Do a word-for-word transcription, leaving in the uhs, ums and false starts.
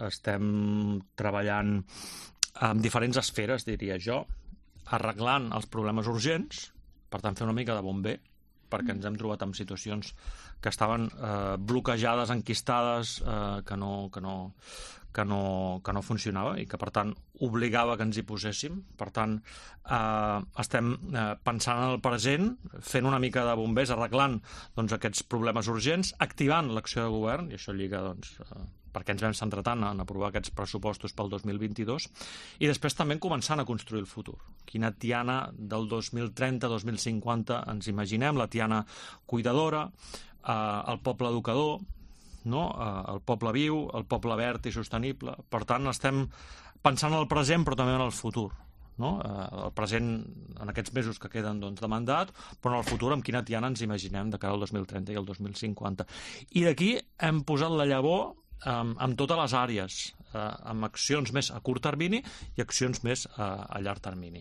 estem treballant en diferents esferes, diria jo, arreglant els problemes urgents, per tant, fer una mica de bomber, perquè ens hem trobat en situacions que estaven eh, bloquejades, enquistades, eh, que, no, que, no, que, no, que no funcionava i que, per tant, obligava que ens hi poséssim. Per tant, eh, estem eh, pensant en el present, fent una mica de bombers, arreglant doncs, aquests problemes urgents, activant l'acció de govern, i això lliga doncs, eh, perquè ens vam centrar tant en aprovar aquests pressupostos pel dos mil vint-i-dos, i després també començant a construir el futur. Quina Tiana del dos mil trenta dos mil cinquanta ens imaginem, la Tiana cuidadora, eh, el poble educador, no? eh, el poble viu, el poble verd i sostenible. Per tant, estem pensant en el present però també en el futur. No? Eh, el present en aquests mesos que queden doncs, de mandat, però en el futur amb quina Tiana ens imaginem de cara al dos mil trenta i al dos mil cinquanta. I d'aquí hem posat la llavor amb, amb totes les àrees, eh, amb accions més a curt termini i accions més a, a llarg termini.